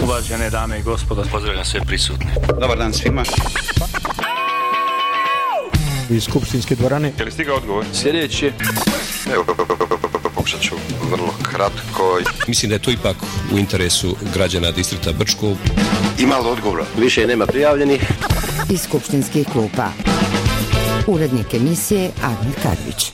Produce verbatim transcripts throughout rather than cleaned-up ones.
Uvažene dame i gospodo, pozdravljam sve prisutne. Dobar dan svima. Iz skupštinske dvorane. Je li stigao odgovor? Sljedeći. Evo, pokušat ću vrlo kratko. Mislim da je to ipak u interesu građana distrikta Brčko. Ima li odgovora? Više nema prijavljenih. Iz skupštinskih klupa. Urednik emisije Admir Kadrić.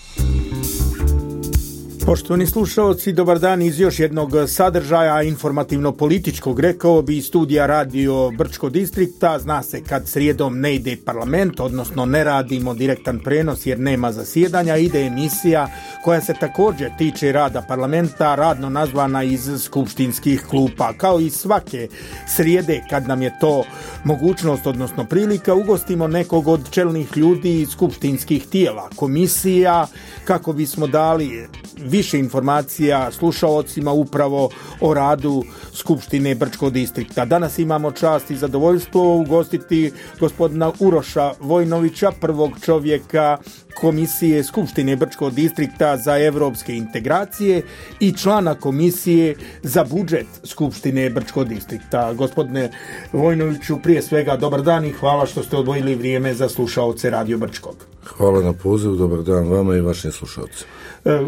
Poštovani slušaoci, dobar dan iz još jednog sadržaja informativno-političkog, rekao bi studija radio Brčko distrikta. Zna se kad srijedom ne ide parlament, odnosno ne radimo direktan prenos jer nema zasjedanja, ide emisija koja se također tiče rada parlamenta, radno nazvana iz skupštinskih klupa. Kao i svake srijede kad nam je to mogućnost, odnosno prilika, ugostimo nekog od čelnih ljudi iz skupštinskih tijela, komisija, kako bismo dali više informacija slušaocima upravo o radu Skupštine Brčkog distrikta. Danas imamo čast i zadovoljstvo ugostiti gospodina Uroša Vojnovića, prvog čovjeka Komisije Skupštine Brčkog distrikta za evropske integracije i člana Komisije za budžet Skupštine Brčkog distrikta. Gospodine Vojnoviću, prije svega dobar dan i hvala što ste odvojili vrijeme za slušaoce Radio Brčkog. Hvala na pozivu, dobar dan vama i vašim slušalcima.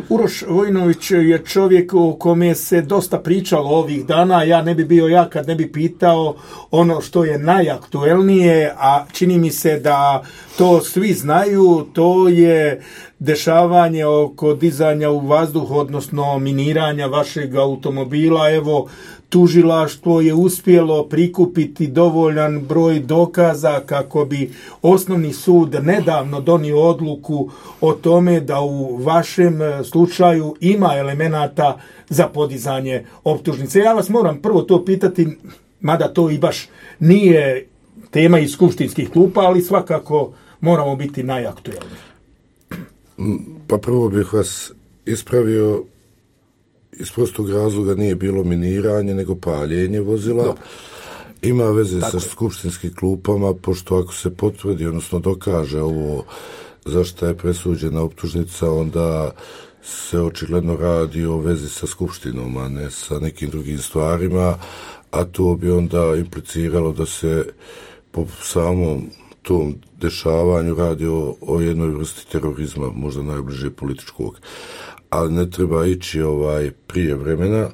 Uroš Vojnović je čovjek o kome se dosta pričalo ovih dana. Ja ne bi bio ja kad ne bi pitao ono što je najaktuelnije, a čini mi se da to svi znaju. To je dešavanje oko dizanja u vazduh, odnosno miniranja vašeg automobila. Evo, tužilaštvo je uspjelo prikupiti dovoljan broj dokaza kako bi osnovni sud nedavno donio odluku o tome da u vašem slučaju ima elemenata za podizanje optužnice. Ja vas moram prvo to pitati, mada to i baš nije tema iz skupštinskih klupa, ali svakako moramo biti najaktuelniji. Pa prvo bih vas ispravio, iz prostog razloga nije bilo miniranje, nego paljenje vozila. Dobro. Ima veze Tako sa je. skupštinskim klupama, pošto ako se potvrdi, odnosno dokaže ovo za što je presuđena optužnica, onda se očigledno radi o vezi sa skupštinom, a ne sa nekim drugim stvarima, a to bi onda impliciralo da se po samom tom dešavanju radi o, o jednoj vrsti terorizma, možda najbliže političkog. Ali ne treba ići ovaj prije vremena.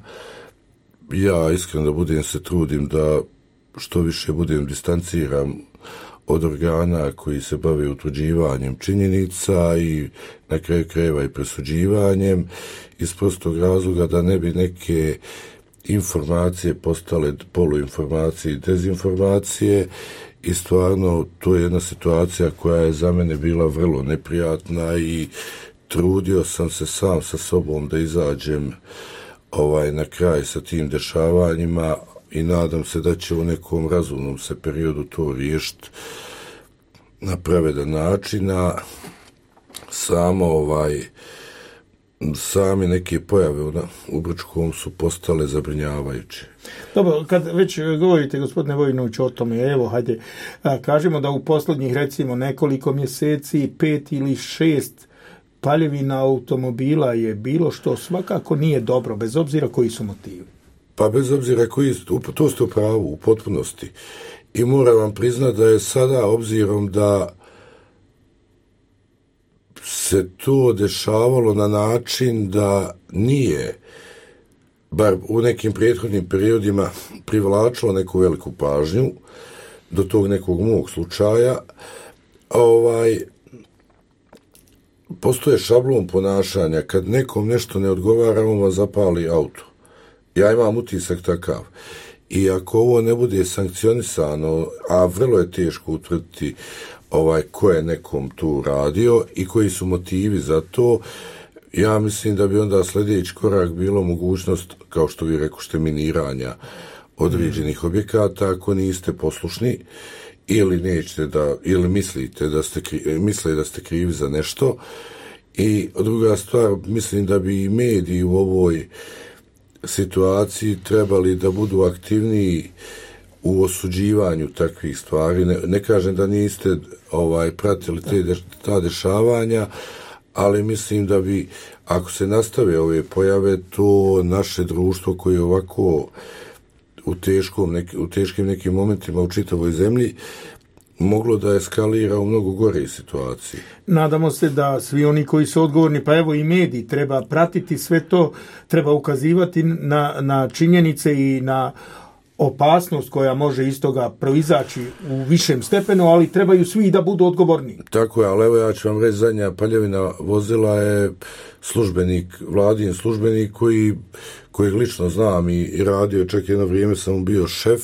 Ja iskreno da budem se trudim da što više budem distanciran od organa koji se bave utvrđivanjem činjenica i na kraju krajeva i presuđivanjem, iz prostog razloga da ne bi neke informacije postale poluinformacije i dezinformacije. I stvarno to je jedna situacija koja je za mene bila vrlo neprijatna i trudio sam se sam sa sobom da izađem ovaj, na kraj sa tim dešavanjima i nadam se da će u nekom razumnom se periodu to riješiti na pravedan način, a samo ovaj, sami neke pojave u, u Brčkom su postale zabrinjavajuće. Dobro, kad već govorite, gospodine Vojnović, o tome, evo, hajde, kažemo da u posljednjih, recimo, nekoliko mjeseci, pet ili šest paljevina automobila je bilo što svakako nije dobro, bez obzira koji su motivi. Pa bez obzira koji su, to ste u pravu, u potpunosti. I moram vam priznati da je sada, obzirom da se to dešavalo na način da nije, bar u nekim prethodnim periodima, privlačilo neku veliku pažnju do tog nekog mog slučaja, ovaj, postoje šablon ponašanja. Kad nekom nešto ne odgovara, on vas zapali auto. Ja imam utisak takav. I ako ovo ne bude sankcionisano, a vrlo je teško utvrditi ovaj, ko je nekom tu radio i koji su motivi za to, ja mislim da bi onda sljedeći korak bilo mogućnost, kao što vi rekošte, miniranja određenih objekata ako niste poslušni ili nećete da, ili mislite da ste, misle da ste krivi za nešto. I druga stvar, mislim da bi i mediji u ovoj situaciji trebali da budu aktivniji u osuđivanju takvih stvari. Ne, ne kažem da niste ovaj pratili te de, ta dešavanja, ali mislim da bi, ako se nastave ove pojave, to naše društvo koje ovako u, teškom, neki, u teškim nekim momentima u čitavoj zemlji moglo da eskalira u mnogo gore situacije. Nadamo se da svi oni koji su odgovorni, pa evo i mediji, treba pratiti sve to, treba ukazivati na, na činjenice i na opasnost koja može iz toga proizaći u višem stepenu, ali trebaju svi da budu odgovorni. Tako je, ali evo ja ću vam reći, zadnja paljevina vozila je službenik, vladin službenik koji, kojeg lično znam i, i radio, čak jedno vrijeme sam mu bio šef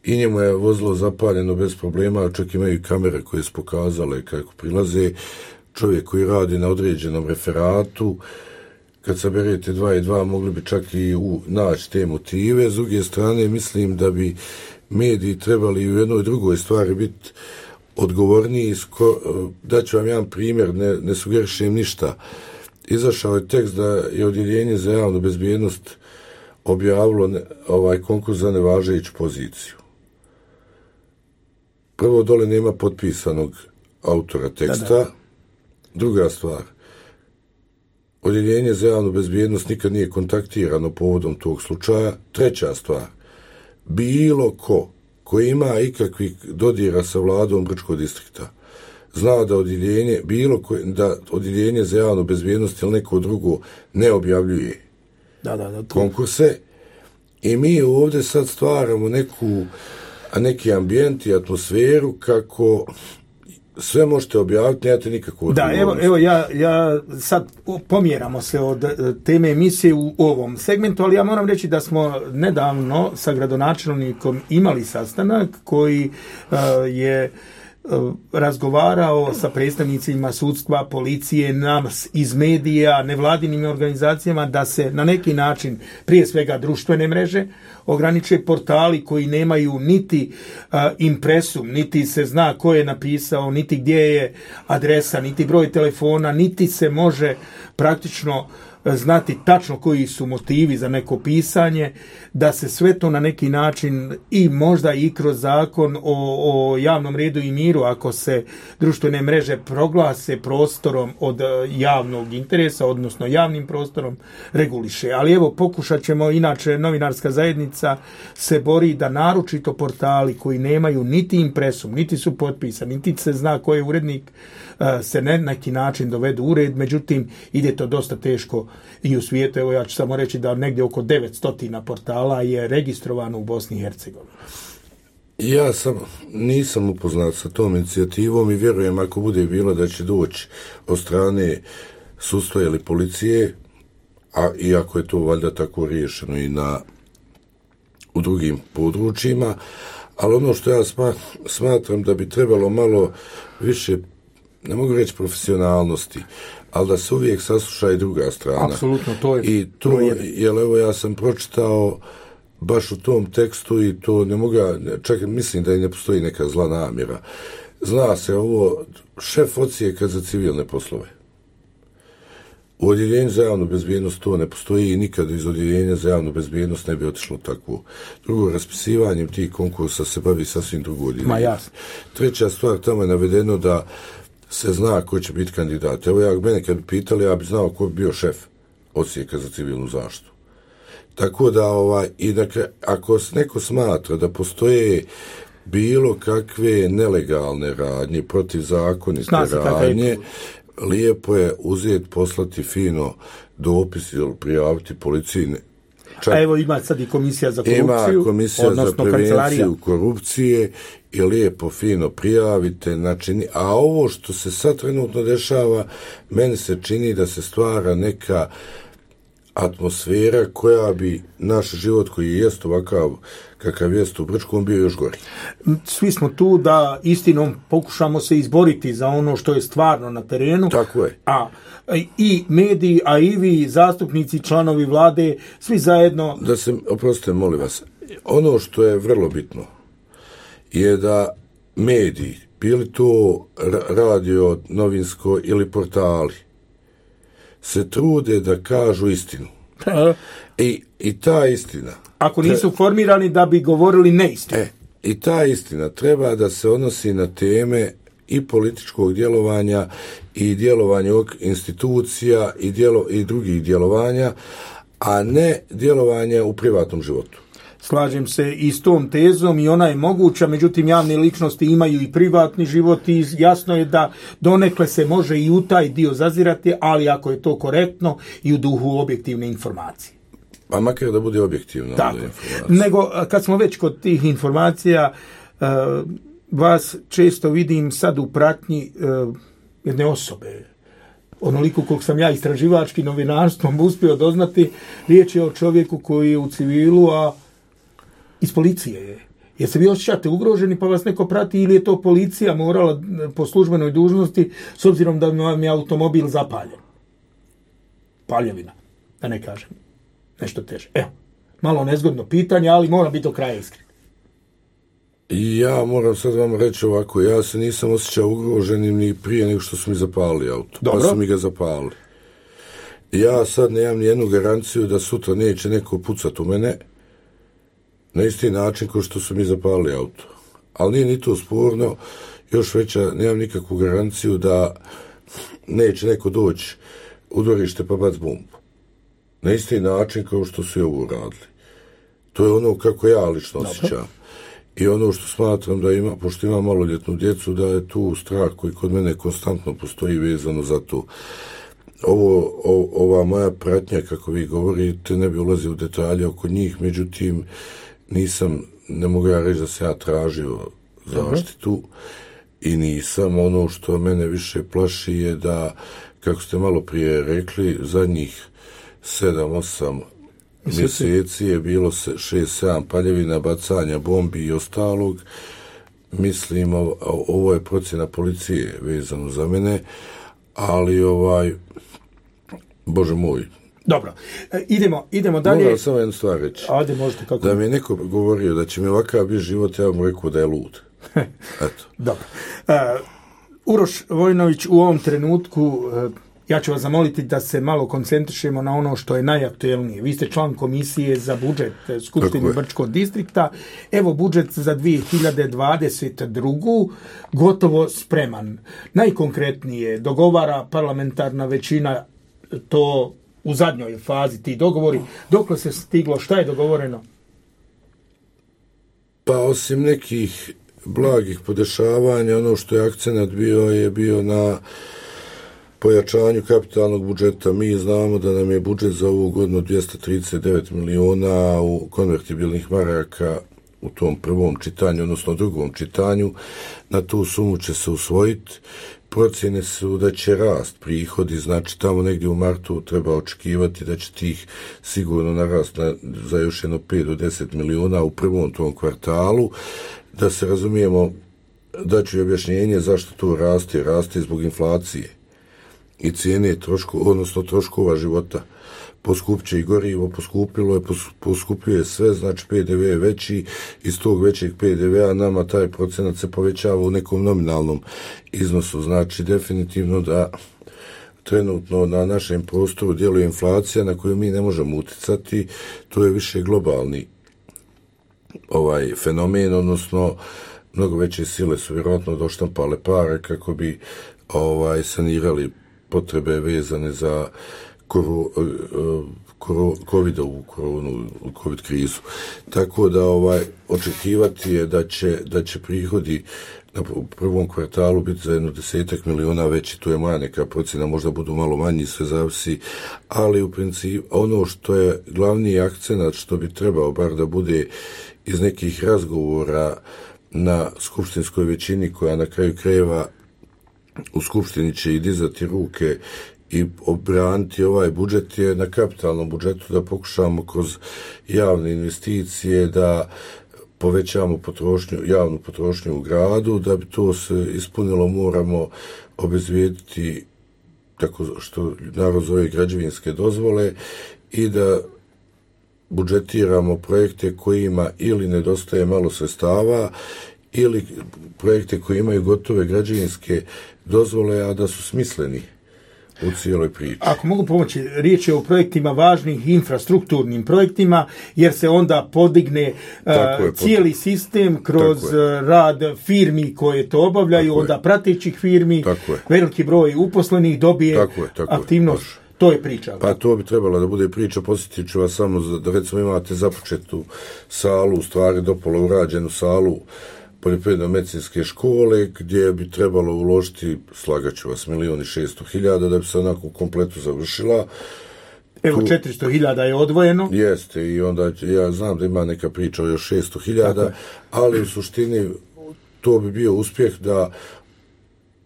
i njemu je vozilo zapaljeno bez problema, čak imaju i kamere koje su pokazale kako prilaze. Čovjek koji radi na određenom referatu, kad saberete dva i dva mogli bi čak i u, naći te motive. S druge strane, mislim da bi mediji trebali u jednoj drugoj stvari biti odgovorniji. Daću vam jedan primjer, ne, ne sugerišem ništa. Izašao je tekst da je Odjeljenje za javnu bezbjednost objavilo ne, ovaj konkurs za nevažeću poziciju. Prvo, dole nema potpisanog autora teksta. Da, da. Druga stvar, Odjeljenje za javnu bezbjednost nikad nije kontaktirano povodom tog slučaja. Treća stvar, bilo ko koji ima ikakvih dodira sa vladom Brčkog distrikta zna da odjeljenje, bilo ko, da Odjeljenje za javnu bezbjednost ili neko drugo ne objavljuje da, da, da, konkurse i mi ovdje sad stvaramo neku, neki ambijent i atmosferu kako sve možete objaviti, nemate nikakvu odgovornost. Da, evo, evo ja, ja sad pomjeramo se od teme emisije u ovom segmentu, ali ja moram reći da smo nedavno sa gradonačelnikom imali sastanak koji uh, je uh, razgovarao sa predstavnicima sudstva, policije, nas iz medija, nevladinim organizacijama, da se na neki način, prije svega društvene mreže, ograniče portali koji nemaju niti uh, impresum, niti se zna ko je napisao, niti gdje je adresa, niti broj telefona, niti se može praktično znati tačno koji su motivi za neko pisanje, da se sve to na neki način i možda i kroz zakon o, o javnom redu i miru, ako se društvene mreže proglase prostorom od javnog interesa, odnosno javnim prostorom, reguliše. Ali evo, pokušat ćemo, inače novinarska zajednica se bori da naročito portali koji nemaju niti impresum, niti su potpisani, niti se zna ko je urednik, se na neki način dovedu u red, međutim ide to dosta teško i u svijetu. Evo ja ću samo reći da negdje oko devetsto portala je registrovano u Bosni i Hercegovini. Ja sam, nisam upoznat sa tom inicijativom i vjerujem ako bude bilo da će doći od strane sudstva ili policije, a iako je to valjda tako riješeno i na u drugim područjima, ali ono što ja smatram da bi trebalo malo više, ne mogu reći profesionalnosti, ali da se uvijek sasluša i druga strana. Apsolutno, to je. I to, jer evo ja sam pročitao baš u tom tekstu i to ne mogu, čak mislim da i ne postoji neka zla namjera. Zna se ovo, šef odsjeka za civilne poslove. U Odjeljenju za javnu bezbjednost to ne postoji i nikad iz Odjeljenja za javnu bezbjednost ne bi otišlo takvo. Drugo, raspisivanjem tih konkursa se bavi sasvim drugo odjeljenje. Ma jasno. Treća stvar, tamo je navedeno da se zna ko će biti kandidat. Evo ja, mene kad bi pitali, ja bi znao ko bi bio šef odsjeka za civilnu zaštitu. Tako da, ovaj, i dakle, ako neko smatra da postoje bilo kakve nelegalne radnje, protivzakonite radnje, lijepo je uzeti, poslati fino dopis ili prijaviti policiji. Čak, a evo ima sad i komisija za korupciju. Ima komisija za prevenciju korupcije i lijepo fino prijavite. Znači, a ovo što se sad trenutno dešava, meni se čini da se stvara neka atmosfera koja bi naš život koji jest ovakav kakav jest u Brčkom bio još gori. Svi smo tu da istinom pokušamo se izboriti za ono što je stvarno na terenu. Tako je. A i mediji, a i vi zastupnici, članovi vlade, svi zajedno... Da se, oprostite, molim vas, ono što je vrlo bitno je da mediji, bili to radio, novinsko ili portali, se trude da kažu istinu. I, i ta istina... Ako nisu formirani da bi govorili neistinu. E, i ta istina treba da se odnosi na teme i političkog djelovanja i djelovanja institucija i, djelo, i drugih djelovanja, a ne djelovanja u privatnom životu. Slažem se i s tom tezom i ona je moguća, međutim javne ličnosti imaju i privatni život i jasno je da donekle se može i u taj dio zazirati, ali ako je to korektno i u duhu objektivne informacije. Pa makar da bude objektivno. Tako. Nego, kad smo već kod tih informacija, uh, vas često vidim sad u pratnji uh, jedne osobe. Onoliko koliko sam ja istraživački novinarstvom uspio doznati, riječ je o čovjeku koji je u civilu, a iz policije je. Jer se vi osjećate ugroženi pa vas neko prati ili je to policija morala po službenoj dužnosti s obzirom da vam je automobil zapaljen? Paljevina, da ne kažem. Nešto teže. Evo, malo nezgodno pitanje, ali mora biti do kraja iskren. Ja moram sad vam reći ovako, ja se nisam osjećao ugroženim ni prije nego što su mi zapalili auto. Dobro. Pa su mi ga zapalili. Ja sad nemam ni jednu garanciju da sutra neće neko pucat u mene na isti način kao što su mi zapalili auto. Ali nije ni to sporno, još veća, nemam nikakvu garanciju da neće neko doći u dvorište pa bac bombu. Na isti način kao što su i ovo radili. To je ono kako ja lično osjećam. I ono što smatram da ima, pošto ima maloljetnu djecu, da je tu strah koji kod mene konstantno postoji vezano za to. Ovo, o, ova moja pratnja, kako vi govorite, ne bi ulazio u detalje oko njih, međutim, nisam, ne mogu ja reći da se ja tražio zaštitu i nisam. Ono što mene više plaši je da, kako ste malo prije rekli, zadnjih sedam, osam mjeseci je bilo šest, sedam paljevina, bacanja bombi i ostalog. Mislim, ovo je procjena policije vezano za mene, ali ovaj, Bože moj. Dobro, e, idemo, idemo dalje. Moram samo jednu stvar reći. Ajde, možete kako. Da mi je neko govorio da će mi ovakav biti život, ja mu rekao da je lud. Eto. Dobro. Uh, Uroš Vojinović, u ovom trenutku uh, ja ću vas zamoliti da se malo koncentrišemo na ono što je najaktuelnije. Vi ste član komisije za budžet Skupštine Brčkog distrikta. Evo budžet za dvije hiljade dvadeset drugu gotovo spreman. Najkonkretnije dogovara parlamentarna većina, to u zadnjoj fazi ti dogovori. Dokle se stiglo, šta je dogovoreno? Pa osim nekih blagih podešavanja, ono što je akcenat bio je bio na pojačanju kapitalnog budžeta. Mi znamo da nam je budžet za ovu godinu dvjesto trideset devet miliona u konvertibilnih maraka u tom prvom čitanju, odnosno drugom čitanju. Na tu sumu će se usvojiti. Procjene su da će rast prihodi, znači tamo negdje u martu treba očekivati da će tih sigurno narast na, za još jedno pet do deset miliona u prvom tom kvartalu. Da se razumijemo, da ću objašnjenje zašto to raste, raste zbog inflacije i cijene troškova, odnosno troškova života. Poskupće i gorivo, poskupilo je, poskupljuje sve, znači P D V je veći, iz tog većeg P D V-a nama taj procenat se povećava u nekom nominalnom iznosu, znači definitivno da trenutno na našem prostoru djeluje inflacija na koju mi ne možemo uticati, to je više globalni ovaj fenomen, odnosno mnogo veće sile su vjerojatno doštampale pare kako bi ovaj sanirali potrebe vezane za Koro, koro, covidovu koronu, covid krizu. Tako da ovaj očekivati je da će, da će prihodi na prvom kvartalu biti za jedno desetak miliona veći, to je moja neka procjena, možda budu malo manji, sve zavisi, ali u principu ono što je glavni akcenat, što bi trebao bar da bude iz nekih razgovora na skupštinskoj većini, koja na kraju krajeva u skupštini će i dizati ruke i obraniti ovaj budžet, je na kapitalnom budžetu da pokušamo kroz javne investicije da povećamo potrošnju, javnu potrošnju u gradu. Da bi to se ispunilo, moramo obezvijediti, tako što narod zove, građevinske dozvole i da budžetiramo projekte kojima ili nedostaje malo sredstava ili projekte koji imaju gotove građevinske dozvole, a da su smisleni u cijeloj priči. Ako mogu pomoći, riječ je o projektima važnih, infrastrukturnim projektima, jer se onda podigne uh, je, cijeli pod... sistem kroz rad firmi koje to obavljaju, tako onda je. Pratećih firmi, veliki broj uposlenih dobije tako je, tako aktivnost. Je. To je priča. Pa to bi trebalo da bude priča, posjetit ću vas samo da recimo imate započetu salu, u stvari dopolo urađenu salu poljoprivredno-medicinske škole gdje bi trebalo uložiti, slagaću vas, milijon i šesto hiljada da bi se onako kompletu završila. Evo, tu, četiristo hiljada je odvojeno. Jeste, i onda ja znam da ima neka priča o još šesto hiljada, ali u suštini to bi bio uspjeh da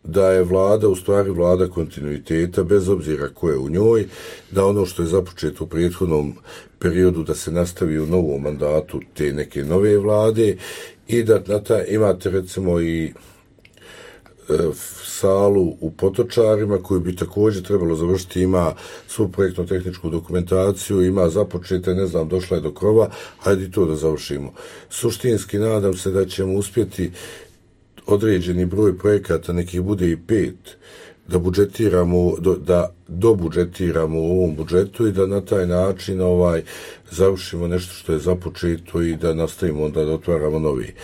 da je vlada, u stvari vlada kontinuiteta, bez obzira ko je u njoj, da ono što je započeto u prethodnom periodu da se nastavi u novom mandatu te neke nove vlade i da na taj, imate recimo i e, salu u Potočarima koju bi također trebalo završiti, ima svu projektno-tehničku dokumentaciju, ima započete, ne znam, došla je do krova, hajde i to da završimo. Suštinski nadam se da ćemo uspjeti određeni broj projekata, nekih bude i pet, da budžetiramo, da dobudžetiramo u ovom budžetu i da na taj način ovaj završimo nešto što je započeto i da nastavimo onda da otvaramo novi.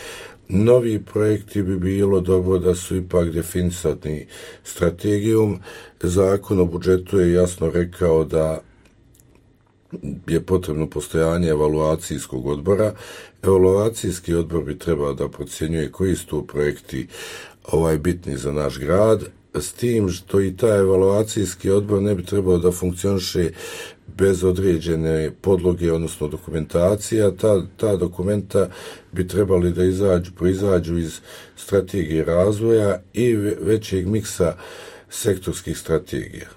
Novi projekti bi bilo dobro da su ipak definisani strategijom. Zakon o budžetu je jasno rekao da je potrebno postojanje evaluacijskog odbora. Evaluacijski odbor bi trebao da procjenjuje koji su to projekti ovaj bitni za naš grad, s tim što i taj evaluacijski odbor ne bi trebao da funkcioniše bez određene podloge, odnosno dokumentacija. Ta, ta dokumenta bi trebali da izađu, proizađu iz strategije razvoja i većeg miksa sektorskih strategija.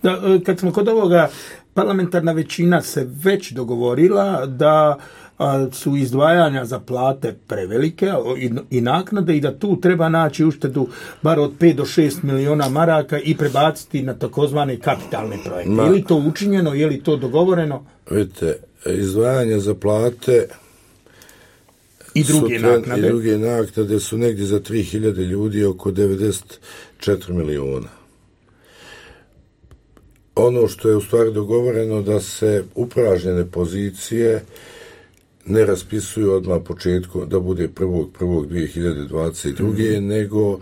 Da, kad smo kod ovoga, parlamentarna većina se već dogovorila da a, su izdvajanja za plate prevelike i, i naknade i da tu treba naći uštedu bar od pet do šest miliona maraka i prebaciti na takozvane kapitalne projekte. Ma, je li to učinjeno, je li to dogovoreno? Vidite, izdvajanja za plate i druge tren, naknade i druge naknade su negdje za tri hiljade ljudi oko devedeset četiri miliona. Ono što je u stvari dogovoreno da se upražnjene pozicije ne raspisuju odmah početkom, da bude prvog prvog dvije hiljade dvadeset druge. Mm. nego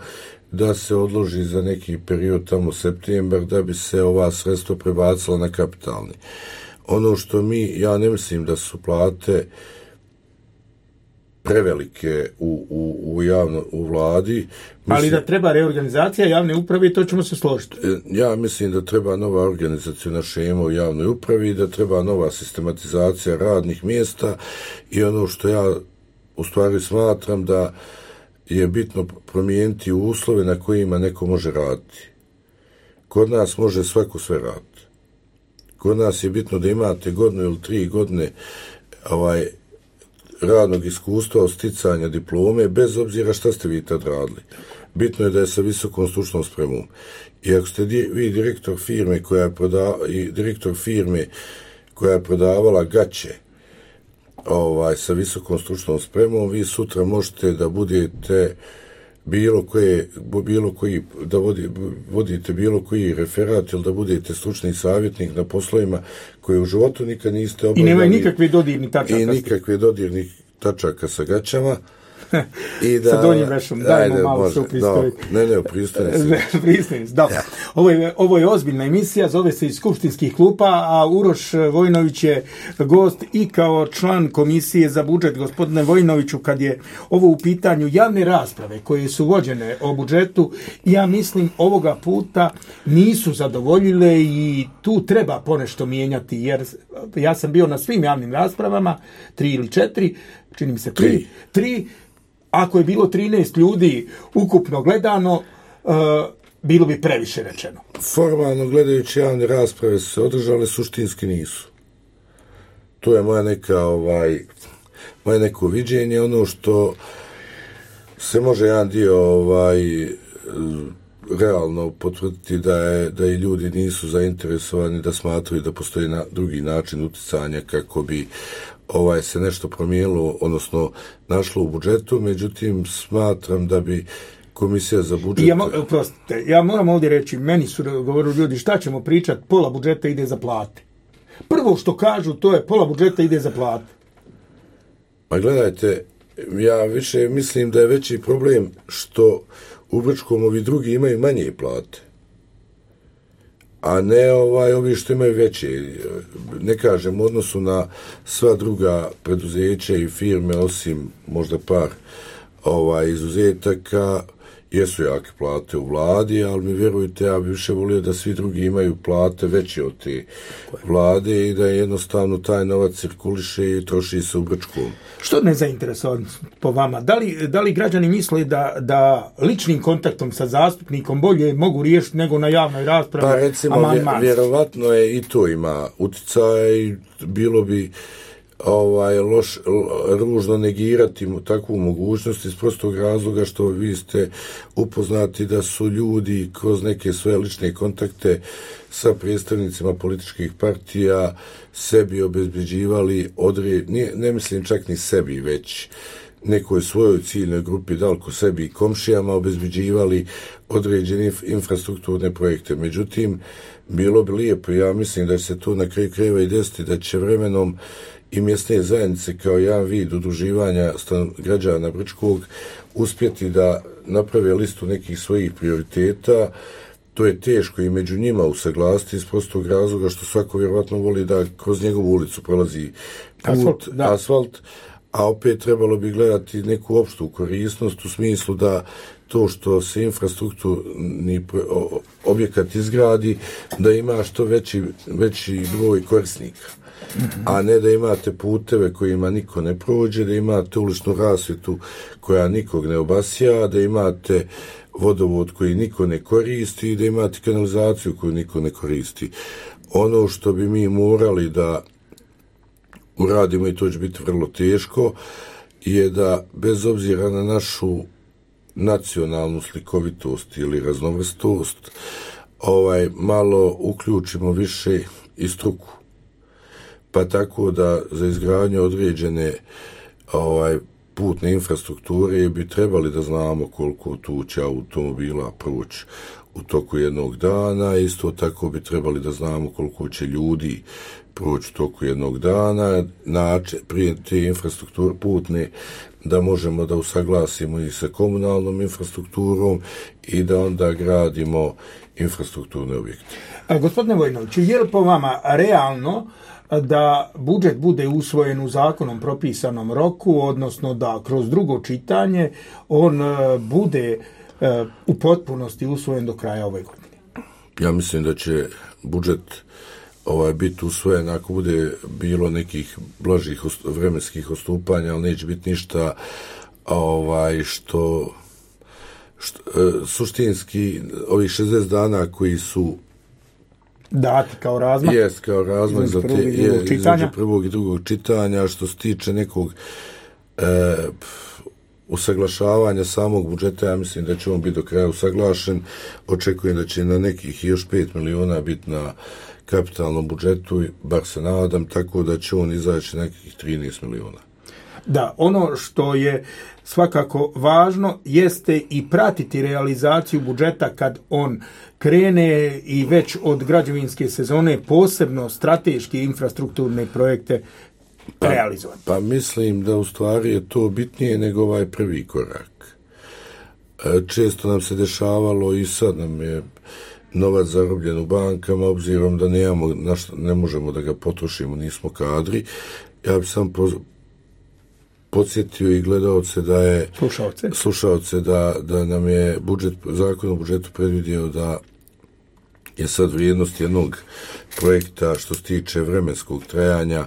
da se odloži za neki period tamo septembar da bi se ova sredstva prebacila na kapitalni. Ono što mi, ja ne mislim da su plate prevelike u, u, u, javno, u vladi. Mislim, ali da treba reorganizacija javne uprave, to ćemo se složiti. Ja mislim da treba nova organizacijona šema u javnoj upravi, da treba nova sistematizacija radnih mjesta i ono što ja u stvari smatram da je bitno promijeniti uslove na kojima neko može raditi. Kod nas može svako sve raditi. Kod nas je bitno da imate godinu ili tri godine ovaj radnog iskustva od sticanja diplome, bez obzira šta ste vi tad radili. Bitno je da je sa visokom stručnom spremom. I ako ste di, vi direktor firme koja je prodavala, i direktor firme koja je prodavala gaće ovaj, sa visokom stručnom spremom, vi sutra možete da budete bilo koje, bilo koji, da vodi, vodite bilo koji referat ili da budete stručni savjetnik na poslovima koje u životu nikad niste obavljali. I nemaju nikakve dodirni tačaka. I nikakve dodirnih tačaka sa gaćama. I da, sa donjim vešom, dajmo ajde, malo se upristojiti. Ne, ne, upristojiti. Upristojiti, da. Ja. Ovo je, ovo je ozbiljna emisija, zove se iz skupštinskih klupa, a Uroš Vojnović je gost i kao član komisije za budžet. Gospodine Vojnoviću, kad je ovo u pitanju javne rasprave koje su vođene o budžetu, ja mislim ovoga puta nisu zadovoljile i tu treba ponešto mijenjati, jer ja sam bio na svim javnim raspravama, tri ili četiri, čini mi se tri, tri, tri ako je bilo trinaest ljudi ukupno gledano, uh, bilo bi previše rečeno. Formalno gledajući javne rasprave se održale, suštinski nisu. To je moja neka, ovaj, moje neko viđenje, ono što se može jedan dio ovaj, realno potvrditi da je da i ljudi nisu zainteresovani, da smatraju da postoji na drugi način uticanja kako bi ovaj se nešto promijenilo, odnosno našlo u budžetu, međutim smatram da bi komisija za budžet... Ja, prostite, ja moram ovdje reći, meni su govorili ljudi, šta ćemo pričati, pola budžeta ide za plate. Prvo što kažu, to je pola budžeta ide za plate. Ma gledajte, ja više mislim da je veći problem što u Brčkom ovi drugi imaju manje plate. a ne ovaj, ovi što imaju veće. Ne kažem, u odnosu na sva druga preduzeća i firme, osim možda par ovaj, izuzetaka, jesu jake plate u vladi, ali mi vjerujte, ja bi više volio da svi drugi imaju plate veće od te vlade i da jednostavno taj novac cirkuliše i troši se u Brčkom. Što nezainteresovanost po vama? Da li, da li građani misle da, da ličnim kontaktom sa zastupnikom bolje mogu riješiti nego na javnoj raspravi? Pa recimo, vjerovatno je i to ima utjecaj i bilo bi ovaj loš, ružno negirati takvu mogućnost iz prostog razloga što vi ste upoznati da su ljudi kroz neke svoje lične kontakte sa predstavnicima političkih partija sebi obezbeđivali odred, ne, ne mislim čak ni sebi, već nekoj svojoj ciljnoj grupi, daleko sebi i komšijama obezbeđivali određene infrastrukturne projekte. Međutim, bilo bi lijepo, ja mislim da će se to na kraju krajeva i desiti, da će vremenom i mjesne zajednice kao jedan vid udruživanja građana Brčkog uspjeti da naprave listu nekih svojih prioriteta. To je teško i među njima usaglasiti iz prostog razloga što svako vjerovatno voli da kroz njegovu ulicu prolazi put, asfalt, asfalt, a opet trebalo bi gledati neku opštu korisnost u smislu da to što se infrastrukturni objekat izgradi, da ima što veći, veći broj korisnika. A ne da imate puteve kojima niko ne prođe, da imate uličnu rasvjetu koja nikog ne obasja, da imate vodovod koji niko ne koristi, da imate kanalizaciju koju niko ne koristi. Ono što bi mi morali da uradimo, i to će biti vrlo teško, je da bez obzira na našu nacionalnu slikovitost ili raznovrstost, ovaj, malo uključimo više i struku. Pa tako da za izgradnju određene ovaj, putne infrastrukture bi trebali da znamo koliko tu će automobila proći u toku jednog dana, isto tako bi trebali da znamo koliko će ljudi proći u toku jednog dana, način, prije te infrastrukture putne, da možemo da usaglasimo i sa komunalnom infrastrukturom i da onda gradimo infrastrukturne objekte. A, gospodine Vojinoviću, je li po vama realno da budžet bude usvojen u zakonom propisanom roku, odnosno da kroz drugo čitanje on bude u potpunosti usvojen do kraja ove godine? Ja mislim da će budžet ovaj, biti usvojen ako bude bilo nekih blažih vremenskih odstupanja, ali neće biti ništa ovaj, što, što suštinski ovih šezdeset dana koji su dati kao razmak. Jest, kao razmak za te, je, između prvog i drugog čitanja. Što se tiče nekog e, usaglašavanja samog budžeta, ja mislim da će on biti do kraja usaglašen. Očekujem da će na nekih još pet miliona biti na kapitalnom budžetu, bar se nadam, tako da će on izaći nekih trinaest miliona. Da, ono što je svakako važno jeste i pratiti realizaciju budžeta kad on krene i već od građevinske sezone posebno strateške infrastrukturne projekte pa, realizovati. Pa mislim da u stvari je to bitnije nego ovaj prvi korak. Često nam se dešavalo i sad nam je novac zarobljen u bankama, obzirom da nemamo, ne možemo da ga potrošimo, nismo kadri. Ja bih sam poz, podsjetio i gledalce da je slušalce, slušalce da, da nam je budžet, zakon o budžetu predvidio da je sad vrijednost jednog projekta što se tiče vremenskog trajanja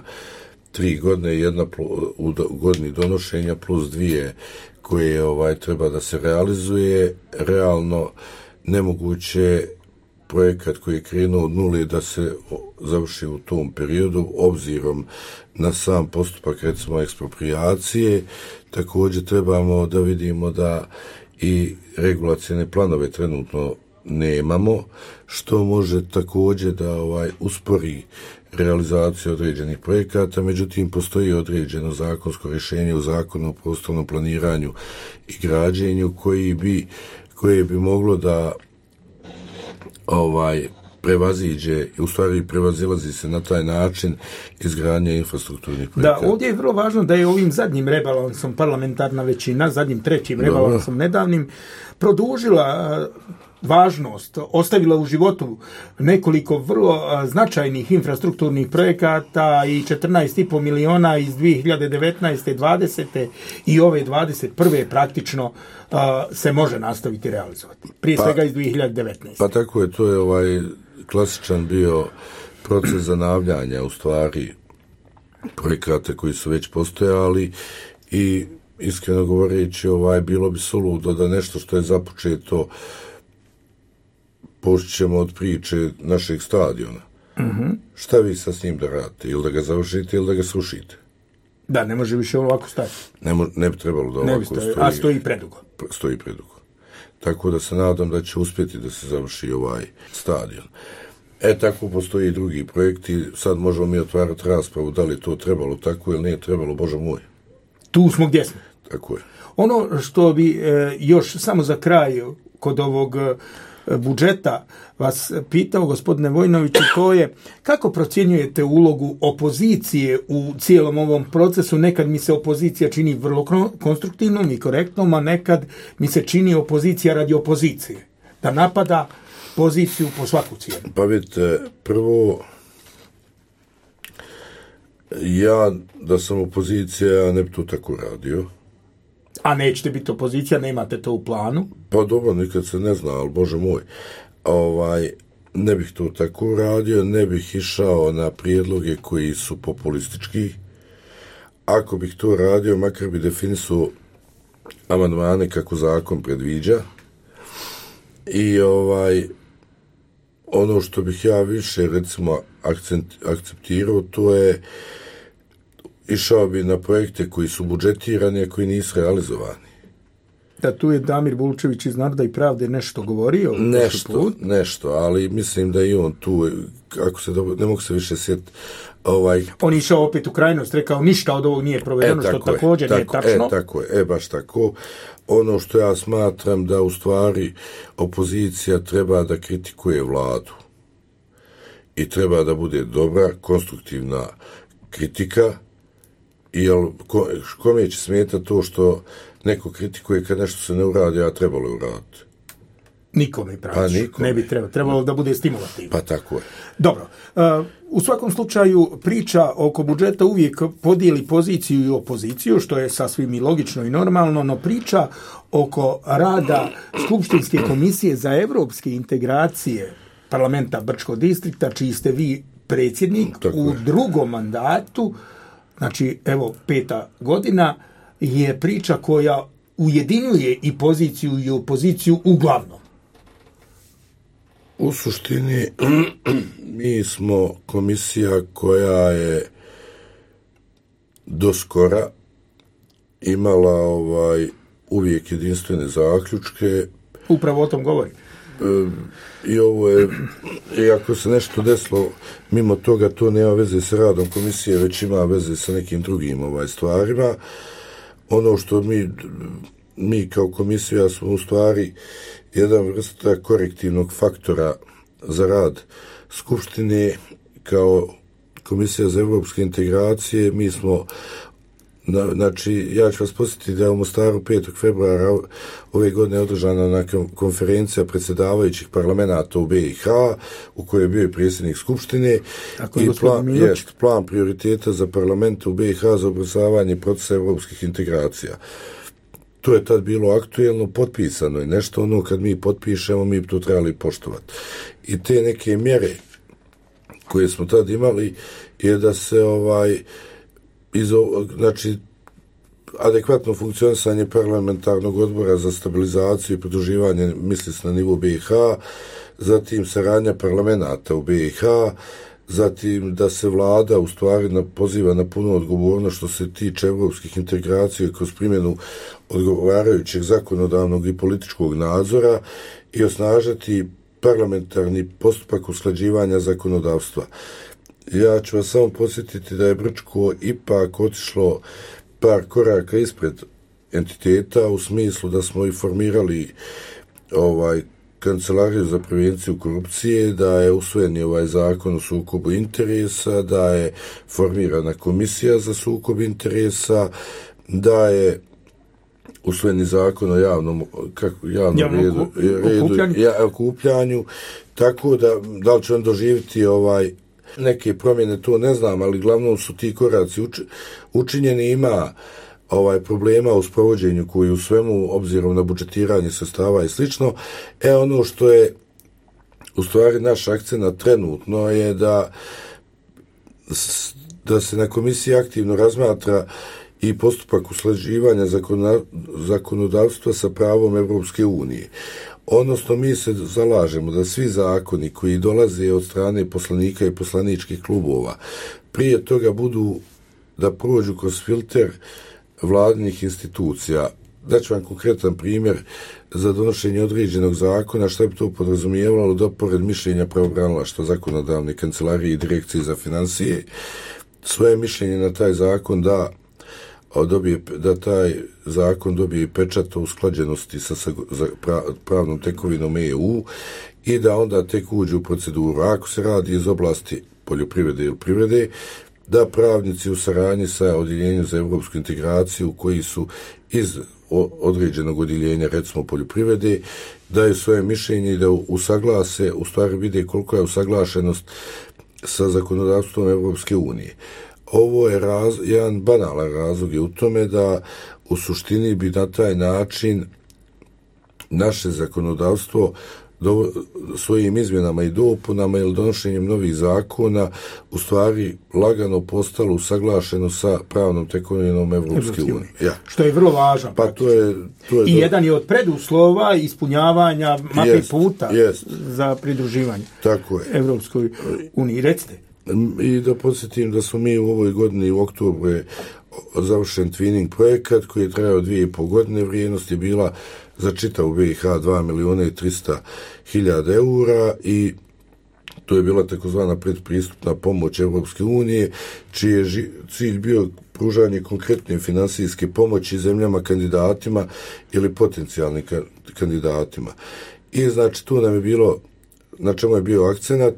tri godine, jedna u godini donošenja plus dvije koje ovaj treba da se realizuje. Realno nemoguće projekat koji je krenuo od nule da se završi u tom periodu, obzirom na sam postupak, recimo, ekspropriacije. Također trebamo da vidimo da i regulacijne planove trenutno nemamo, što može također da ovaj uspori realizaciju određenih projekata. Međutim, postoji određeno zakonsko rješenje u zakonu o prostornom planiranju i građenju koji bi, koje bi moglo da ovaj prevaziđe, u stvari prevazilazi se na taj način izgradnje infrastrukturnih projekata. Da, ovdje je vrlo važno da je ovim zadnjim rebalansom parlamentarna većina, zadnjim trećim Dobre. rebalansom nedavnim, produžila važnost, ostavila u životu nekoliko vrlo značajnih infrastrukturnih projekata i četrnaest i pol miliona iz dvije hiljade devetnaeste. dvadesete i ove dvadeset prve praktično a, se može nastaviti realizovati. Prije pa, svega iz dvije hiljade devetnaeste. Pa tako je, to je ovaj klasičan bio proces zanavljanja u stvari projekata koji su već postojali i iskreno govoreći ovaj, bilo bi suludo da nešto što je započeto počnemo od priče našeg stadiona. Mm-hmm. Šta vi sa s njim da radite? Ili da ga završite ili da ga srušite? Da, ne može više ovako stajati. Ne, mo- ne bi trebalo da ovako bi stoji, stoji. A stoji predugo. Stoji predugo. Tako da se nadam da će uspjeti da se završi ovaj stadion. E, tako postoji i drugi projekti. Sad možemo mi otvarati raspravu da li to trebalo tako ili nije trebalo, Bože moj. Tu smo gdje smo. Tako je. Ono što bi e, još samo za kraj kod ovog e, budžeta vas pitao, gospodine Vojnoviću, to je kako procjenjujete ulogu opozicije u cijelom ovom procesu? Nekad mi se opozicija čini vrlo konstruktivnom i korektnom, a nekad mi se čini opozicija radi opozicije. Da napada poziciju po svaku cijenu. Pa vidite, prvo, ja da sam opozicija, ja ne bi to tako radio. A nećete biti opozicija, nemate to u planu? Pa dobro, nikad se ne zna, ali Bože moj, ovaj, ne bih to tako radio, ne bih išao na prijedloge koji su populistički. Ako bih to radio, makar bi definisao amandmane kako zakon predviđa. I ovaj, ono što bih ja više, recimo, akcent, akceptirao, to je išao bi na projekte koji su budžetirani, a koji nisu realizovani. Da, tu je Damir Bulčević iz Naroda i Pravde nešto govorio? Nešto, nešto, ali mislim da i on tu, ako se dobro, ne mogu se više sjetiti. Ovaj... On išao opet u krajnost, rekao ništa od ovog nije provedeno, e, što je, također tako, nije tačno. E, tako je, e, baš tako. Ono što ja smatram da u stvari opozicija treba da kritikuje vladu i treba da bude dobra, konstruktivna kritika. Jel, ko, kome će smetati to što neko kritikuje kad nešto se ne uradi, a trebalo je uraditi? Nikome, praviš. Pa ne bi trebalo. Trebalo da bude stimulativno. Pa tako je. Dobro. Uh, u svakom slučaju priča oko budžeta uvijek podijeli poziciju i opoziciju, što je sasvim i logično i normalno, no priča oko rada Skupštinske komisije za evropske integracije parlamenta Brčkog distrikta, čiji ste vi predsjednik tako u je. drugom mandatu, znači, evo, peta godina, je priča koja ujedinjuje i poziciju i opoziciju uglavnom. U suštini, mi smo komisija koja je do skora imala ovaj, uvijek jedinstvene zaključke. Upravo o tom govorim. I ovo je, i ako se nešto desilo mimo toga, to nema veze sa radom komisije, već ima veze sa nekim drugim ovaj stvarima. Ono što mi, mi kao komisija smo u stvari jedan vrsta korektivnog faktora za rad Skupštine. Kao komisija za evropske integracije mi smo, znači, ja ću vas posjetiti da je u Mostaru petog februara ove godine održana na konferencija predsjedavajućih parlamenta u be i ha, u kojoj je bio i predsjednik Skupštine. I plan, jest, plan prioriteta za parlamente u be i ha za ubrzavanje procesa evropskih integracija. To je tad bilo aktuelno, potpisano je nešto, ono kad mi potpišemo, mi to trebali poštovati. I te neke mjere koje smo tad imali je da se ovaj iz, znači, adekvatno funkcionisanje parlamentarnog odbora za stabilizaciju i pridruživanje, misli se na nivou be i ha, zatim saradnja parlamenta u be i ha, zatim da se vlada u stvari na, poziva na punu odgovornost što se tiče evropskih integracija kroz primjenu odgovarajućeg zakonodavnog i političkog nadzora i osnažiti parlamentarni postupak usklađivanja zakonodavstva. Ja ću vas samo podsjetiti da je Brčko ipak otišlo par koraka ispred entiteta u smislu da smo i formirali ovaj Kancelariju za prevenciju korupcije, da je usvojen ovaj zakon o sukobu interesa, da je formirana komisija za sukob interesa, da je usvojeni zakon o javnom, kako, javnom Javnom redu, ku- redu okupljanju. ja, okupljanju, tako da, da li će on doživjeti ovaj, neke promjene, to ne znam, ali glavno su ti koraci uč, učinjeni, ima ovaj problema u sprovođenju koji u svemu, obzirom na budžetiranje sredstava i slično. E ono što je u stvari naš akcent trenutno je da da se na komisiji aktivno razmatra i postupak usklađivanja zakonodavstva sa pravom Evropske unije. Odnosno, mi se zalažemo da svi zakoni koji dolaze od strane poslanika i poslaničkih klubova prije toga budu da prođu kroz filter vladinih institucija. Daću vam konkretan primjer za donošenje određenog zakona, šta bi to podrazumijevalo da pored mišljenja pravobranilaštva, zakonodavne kancelarije i direkcije za financije svoje mišljenje na taj zakon da dobije, da taj zakon dobije pečat o usklađenosti sa, sa pravnom tekovinom E U i da onda tek uđe u proceduru. Ako se radi iz oblasti poljoprivrede ili privrede, da pravnici u saradnji sa odjeljenjem za evropsku integraciju koji su iz određenog odjeljenja, recimo poljoprivrede, daju svoje mišljenje i da usaglase, u stvari vide koliko je usaglašenost sa zakonodavstvom Evropske unije. Ovo je raz, jedan banalan razlog je u tome da u suštini bi na taj način naše zakonodavstvo do, svojim izmjenama i dopunama ili donošenjem novih zakona u stvari lagano postalo usaglašeno sa pravnom tekovinom Evropske unije. Ja. Što je vrlo važno. Pa to je, to je I do... jedan je od preduslova ispunjavanja mape jest, puta jest. za pridruživanje Tako je. Evropskoj uniji. Recite. I da podsjetim da smo mi u ovoj godini u oktobru je završen twinning projekat koji je trajao dvije i pol godine, vrijednost je bila za čitavu B i H dva milijuna i trista hiljada eura i to je bila takozvana predpristupna pomoć Evropske unije, čiji je ži, cilj bio pružanje konkretne finansijske pomoći zemljama kandidatima ili potencijalnim ka, kandidatima. I znači tu nam je bilo, na čemu je bio akcenat,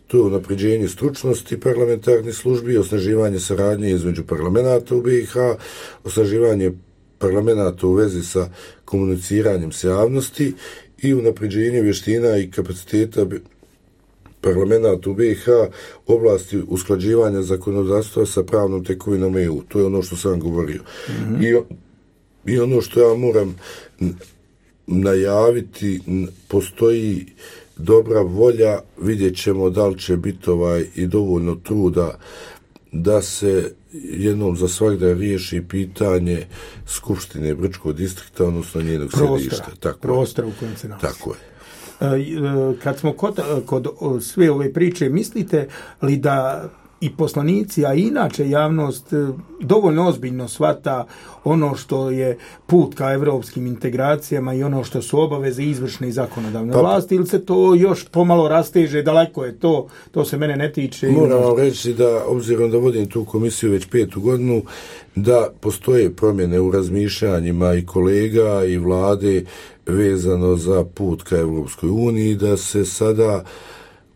to je unapređenje stručnosti parlamentarnih službi, osnaživanje saradnje između parlamenta u B i H, osnaživanje parlamenta u vezi sa komuniciranjem s javnosti i unapređenje vještina i kapaciteta parlamenta u B i H u oblasti usklađivanja zakonodavstva sa pravnom tekovinom E U. To je ono što sam govorio. Mm-hmm. I, I ono što ja moram najaviti, postoji dobra volja, vidjet ćemo da li će biti ovaj i dovoljno truda da se jednom za svagda riješi pitanje Skupštine Brčkog distrikta, odnosno njenog središta. Tako prostora u kojem se nalazi. Tako je. Kad smo kod, kod sve ove priče, mislite li da i poslanici, a inače javnost dovoljno ozbiljno shvata ono što je put ka evropskim integracijama i ono što su obaveze izvršne i zakonodavne pa, vlasti, ili se to još pomalo rasteže, daleko je to, to se mene ne tiče? Moram vam reći da, obzirom da vodim tu komisiju već petu godinu, da postoje promjene u razmišljanjima i kolega i vlade vezano za put ka Evropskoj uniji, da se sada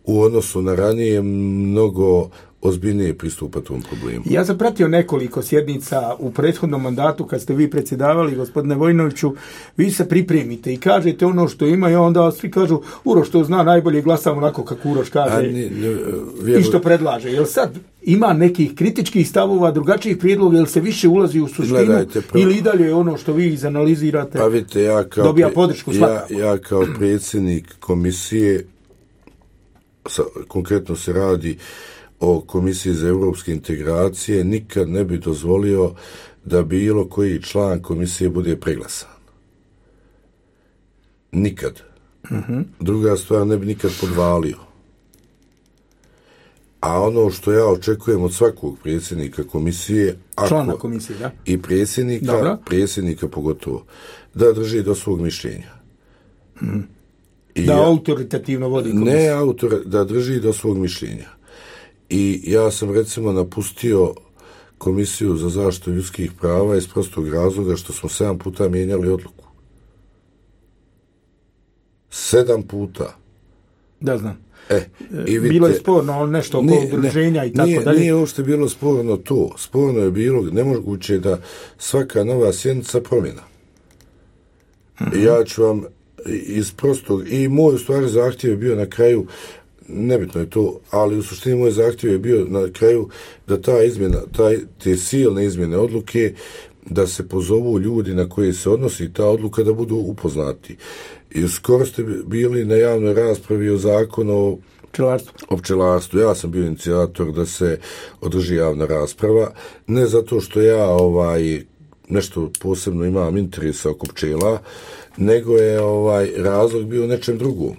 u odnosu na ranije mnogo ozbiljnije pristupa tom problemu. Ja sam pratio nekoliko sjednica u prethodnom mandatu kad ste vi predsjedavali, gospodine Vojinoviću, vi se pripremite i kažete ono što ima i onda svi kažu Uroš to zna najbolje, glasamo onako kako Uroš kaže ni, ni, vjeru... i što predlaže. Jel sad ima nekih kritičkih stavova, drugačijih prijedloga, jel se više ulazi u suštinu Gledajte, pro... ili i dalje ono što vi izanalizirate pa vidite, ja kao dobija podršku svakako? Ja, ja kao predsjednik komisije, sa, konkretno se radi o Komisiji za evropske integracije, nikad ne bi dozvolio da bilo koji član komisije bude preglasan. Nikad. Mm-hmm. Druga stvar, ne bi nikad podvalio. A ono što ja očekujem od svakog predsjednika komisije, ako, člana komisije, da? I predsjednika, Dobro. predsjednika pogotovo, da drži do svog mišljenja. Mm. I da ja, autoritativno vodi komisiju. Ne autor, da drži do svog mišljenja. I ja sam recimo napustio Komisiju za zaštitu ljudskih prava iz prostog razloga što smo sedam puta mijenjali odluku. Sedam puta. Da, znam. E, i vidite, bilo je sporno nešto oko udruženja i tako nije, dalje. Nije uopšte bilo sporno to. Sporno je bilo nemoguće da svaka nova sjednica promjena. Mm-hmm. Ja ću vam iz prostog, i moj u stvari zahtjev je bio na kraju, nebitno je to, ali u suštini moj zahtjev je bio na kraju da ta izmjena, taj, te silne izmjene odluke, da se pozovu ljudi na koje se odnosi ta odluka, da budu upoznati. I skoro ste bili na javnoj raspravi o zakonu o pčelarstvu. o pčelarstvu. Ja sam bio inicijator da se održi javna rasprava, ne zato što ja ovaj nešto posebno imam interesa oko pčela, nego je ovaj razlog bio nečem drugom.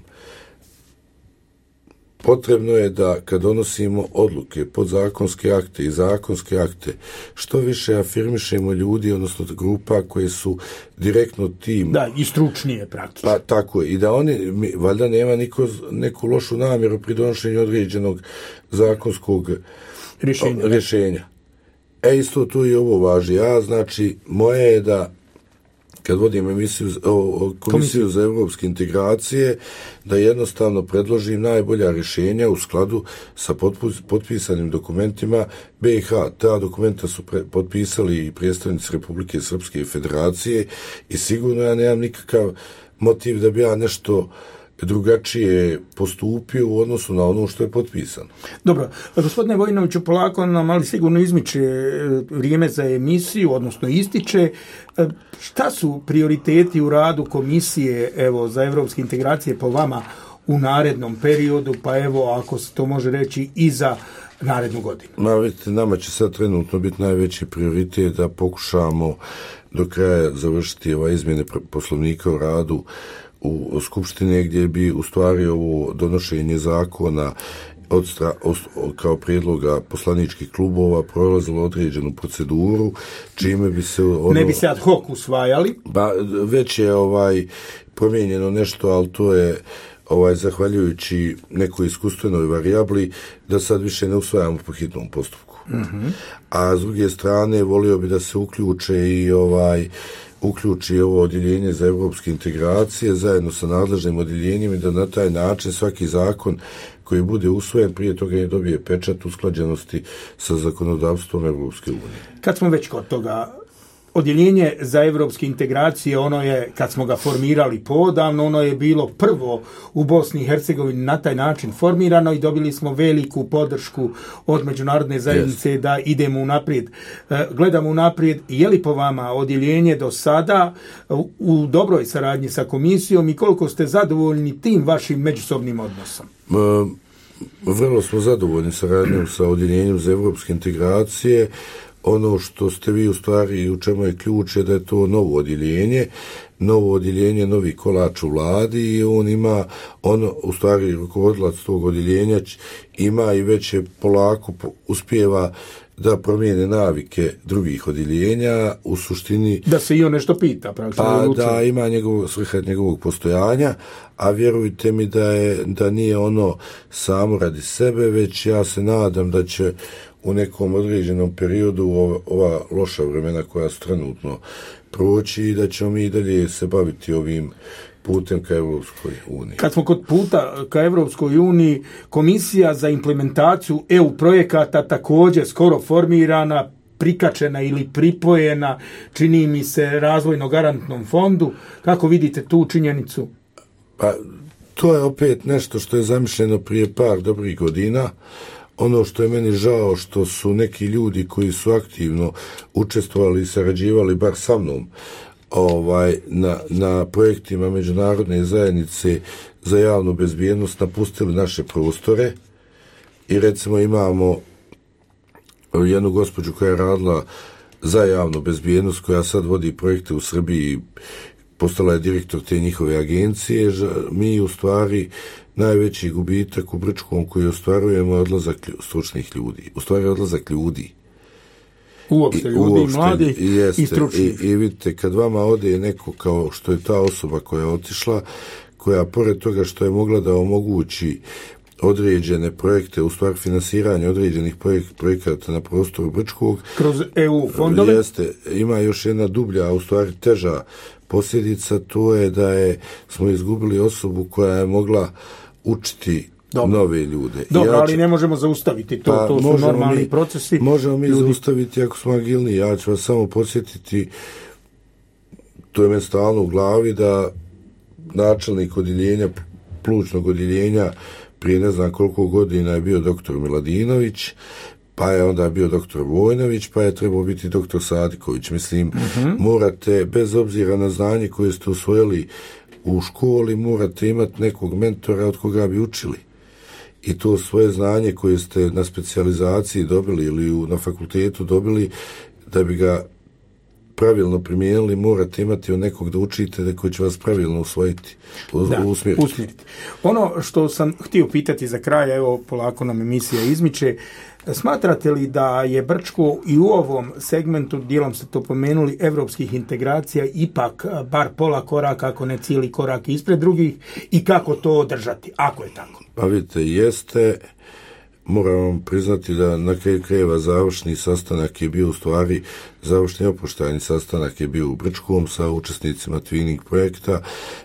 Potrebno je da kad donosimo odluke, podzakonske akte i zakonske akte, što više afirmišemo ljudi, odnosno grupa koje su direktno tim. Da, i stručnije praktično. Pa tako je. I da oni, mi, valjda nema niko, neku lošu namjeru pri donošenju određenog zakonskog rješenja. O, rješenja. E, isto tu i ovo važi. Ja, znači, moje je da kad vodim emisiju o, o Komisiju za evropske integracije, da jednostavno predložim najbolja rješenja u skladu sa potpus, potpisanim dokumentima B i H. Ta dokumenta su pre, potpisali i predstavnici Republike Srpske federacije i sigurno ja nemam nikakav motiv da bi ja nešto drugačije postupio u odnosu na ono što je potpisano. Dobro, gospodine Vojinoviću, polako nam ali sigurno izmiče vrijeme za emisiju, odnosno ističe. Šta su prioriteti u radu komisije, evo, za evropske integracije po vama u narednom periodu, pa evo, ako se to može reći, i za narednu godinu? Ma, vidite, nama će sad trenutno biti najveći prioritet da pokušamo do kraja završiti ova izmjene poslovnika o radu u Skupštini, gdje bi u stvari ovo donošenje zakona od stra, od, kao prijedloga poslaničkih klubova prolazilo određenu proceduru, čime bi se ono, ne bi se ad hoc usvajali. Ba, već je ovaj promijenjeno nešto, ali to je ovaj zahvaljujući nekoj iskustvenoj varijabli da sad više ne usvajamo po hitnom postupku. Mm-hmm. A s druge strane volio bi da se uključe i ovaj uključi ovo odjeljenje za evropske integracije zajedno sa nadležnim odjeljenjem i da na taj način svaki zakon koji bude usvojen prije toga ne dobije pečat usklađenosti sa zakonodavstvom Evropske unije. Kad smo već kod toga, odjeljenje za evropske integracije, ono je, kad smo ga formirali poodavno, ono je bilo prvo u Bosni i Hercegovini na taj način formirano i dobili smo veliku podršku od međunarodne zajednice yes. da idemo unaprijed. Gledamo unaprijed, je li po vama odjeljenje do sada u dobroj saradnji sa komisijom i koliko ste zadovoljni tim vašim međusobnim odnosom? Ma, vrlo smo zadovoljni saradnjom sa odjeljenjem za evropske integracije. Ono što ste vi u stvari, u čemu je ključ, je da je to novo odjeljenje, novo odjeljenje, novi kolač u vladi i on ima, ono, u stvari, rukovodilac tog odjeljenja ima i već je polako uspijeva da promijene navike drugih odjeljenja, u suštini da se i on nešto pita, pa da ima njegov, svrha njegovog postojanja, a vjerujte mi da je, da nije ono samo radi sebe, već ja se nadam da će u nekom određenom periodu ova, ova loša vremena koja su trenutno proći i da ćemo mi i dalje se baviti ovim putem ka Evropskoj uniji. Kad smo kod puta ka Evropskoj uniji, Komisija za implementaciju E U projekata također skoro formirana, prikačena ili pripojena, čini mi se, razvojno garantnom fondu. Kako vidite tu činjenicu? Pa, to je opet nešto što je zamišljeno prije par dobrih godina. Ono što je meni žao, što su neki ljudi koji su aktivno učestvovali i sarađivali bar sa mnom ovaj, na, na projektima međunarodne zajednice za javnu bezbjednost napustili naše prostore i recimo imamo jednu gospođu koja je radila za javnu bezbjednost, koja sad vodi projekte u Srbiji, postala je direktor te njihove agencije. Mi u stvari najveći gubitak u Brčkom koji ostvarujemo je odlazak stručnih ljudi. U stvari odlazak ljudi. Uopšte ljudi, uopšte, mladi jeste, i stručni. I, I vidite, kad vama ode neko kao što je ta osoba koja je otišla, koja pored toga što je mogla da omogući određene projekte, u stvari finansiranje određenih projek- projekata na prostoru Brčkog, kroz E U fondove, jeste, ima još jedna dublja, a u stvari teža posljedica, to je da je smo izgubili osobu koja je mogla učiti Dobro. nove ljude. Dobro, ja ću, ali ne možemo zaustaviti to, pa, to su normalni mi, procesi. Možemo mi ljudi. zaustaviti ako smo agilni. Ja ću vas samo podsjetiti, to je meni stalno u glavi da načelnik odjeljenja, plućnog odjeljenja, prije ne znam koliko godina je bio doktor Miladinović, pa je onda bio doktor Vojnović, pa je trebao biti doktor Sadiković. Mislim, uh-huh. morate, bez obzira na znanje koje ste usvojili u školi, morate imati nekog mentora od koga bi učili. I to svoje znanje koje ste na specijalizaciji dobili ili u, na fakultetu dobili, da bi ga pravilno primijenili, morate imati od nekog da učite, da koji će vas pravilno usvojiti, da, usmjeriti. usmjeriti. Ono što sam htio pitati za kraj, evo polako nam emisija izmiče, smatrate li da je Brčko i u ovom segmentu, dijelom ste to pomenuli, evropskih integracija ipak bar pola koraka, ako ne cijeli korak ispred drugih, i kako to održati, ako je tako? Pa vidite, jeste. Moram vam priznati da na kraju krajeva završni sastanak je bio u stvari, završni oproštajni sastanak je bio u Brčkom sa učesnicima Twinning projekta.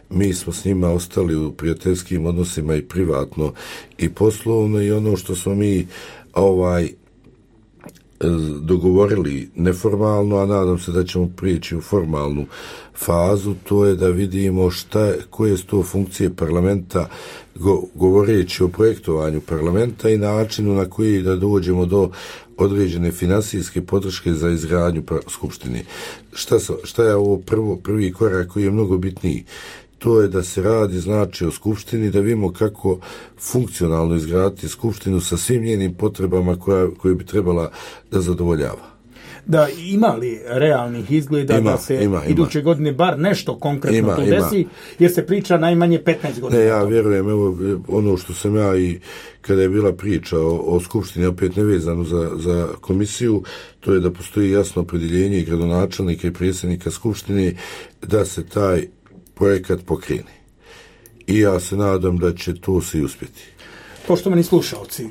Mi smo s njima ostali u prijateljskim odnosima i privatno i poslovno, i ono što smo mi ovaj dogovorili neformalno, a nadam se da ćemo prijeći u formalnu fazu, to je da vidimo šta, koje su to funkcije parlamenta, go, govoreći o projektovanju parlamenta i načinu na koji da dođemo do određene finansijske podrške za izgradnju skupštine. Šta, šta je ovo prvo, prvi korak koji je mnogo bitniji? To je da se radi, znači, o skupštini, da vidimo kako funkcionalno izgraditi skupštinu sa svim njenim potrebama koja, koje bi trebala da zadovoljava. Da, ima li realnih izgleda ima, da se ima, iduće ima. godine bar nešto konkretno ima, to desi, ima. Jer se priča najmanje petnaest godina. Ne, ja vjerujem, evo, ono što sam ja i kada je bila priča o, o skupštini, opet nevezano za, za komisiju, to je da postoji jasno opredjeljenje i gradonačelnika i predsjednika skupštine da se taj projekat pokrene. I ja se nadam da će to se uspjeti. Poštovani slušalci,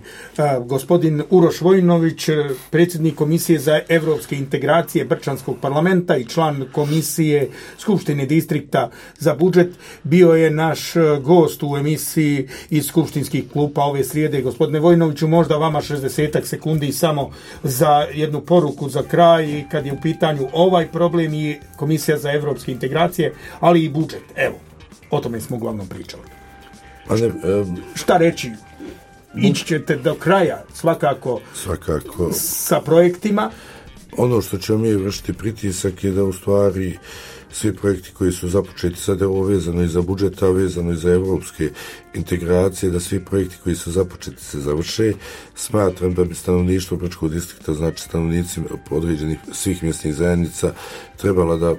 gospodin Uroš Vojnović, predsjednik Komisije za evropske integracije Brčanskog parlamenta i član Komisije Skupštine distrikta za budžet, bio je naš gost u emisiji iz skupštinskih klupa ove srijede. Gospodine Vojnoviću, možda vama šezdeset sekundi samo za jednu poruku za kraj, kad je u pitanju ovaj problem i Komisija za evropske integracije, ali i budžet. Evo, o tome smo uglavnom pričali. Ne, um... Šta reći? Ići ćete do kraja svakako, svakako sa projektima. Ono što ćemo mi vršiti pritisak je da u stvari svi projekti koji su započeti, sad je ovo vezano i za budžeta, vezano i za evropske integracije, da svi projekti koji su započeti se završe. Smatram da bi stanovništvo Brčkog distrikta, znači stanovnici određenih svih mjesnih zajednica, trebala da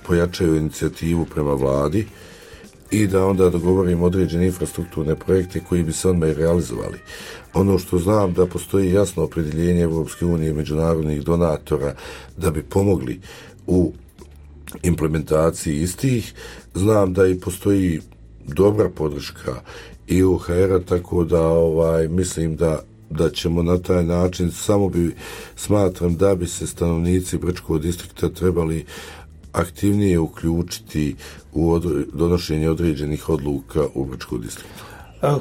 pojačaju inicijativu prema vladi i da onda dogovorimo određene infrastrukturne projekte koji bi se odmah realizovali. Ono što znam da postoji jasno opredjeljenje Evropske unije i međunarodnih donatora da bi pomogli u implementaciji istih. Znam da i postoji dobra podrška i u H R-a, tako da ovaj, mislim da da ćemo na taj način, samo bi smatram da bi se stanovnici Brčkog distrikta trebali aktivnije uključiti u odre, donošenje određenih odluka u Brčkom distriktu.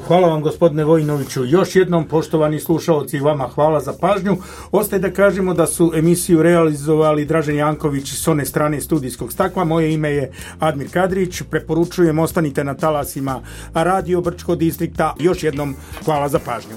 Hvala vam, gospodine Vojnoviću. Još jednom, poštovani slušalci, vama hvala za pažnju. Ostaje da kažemo da su emisiju realizovali Dražen Janković s one strane studijskog stakla. Moje ime je Admir Kadrić. Preporučujem, ostanite na talasima Radio Brčkog distrikta. Još jednom, hvala za pažnju.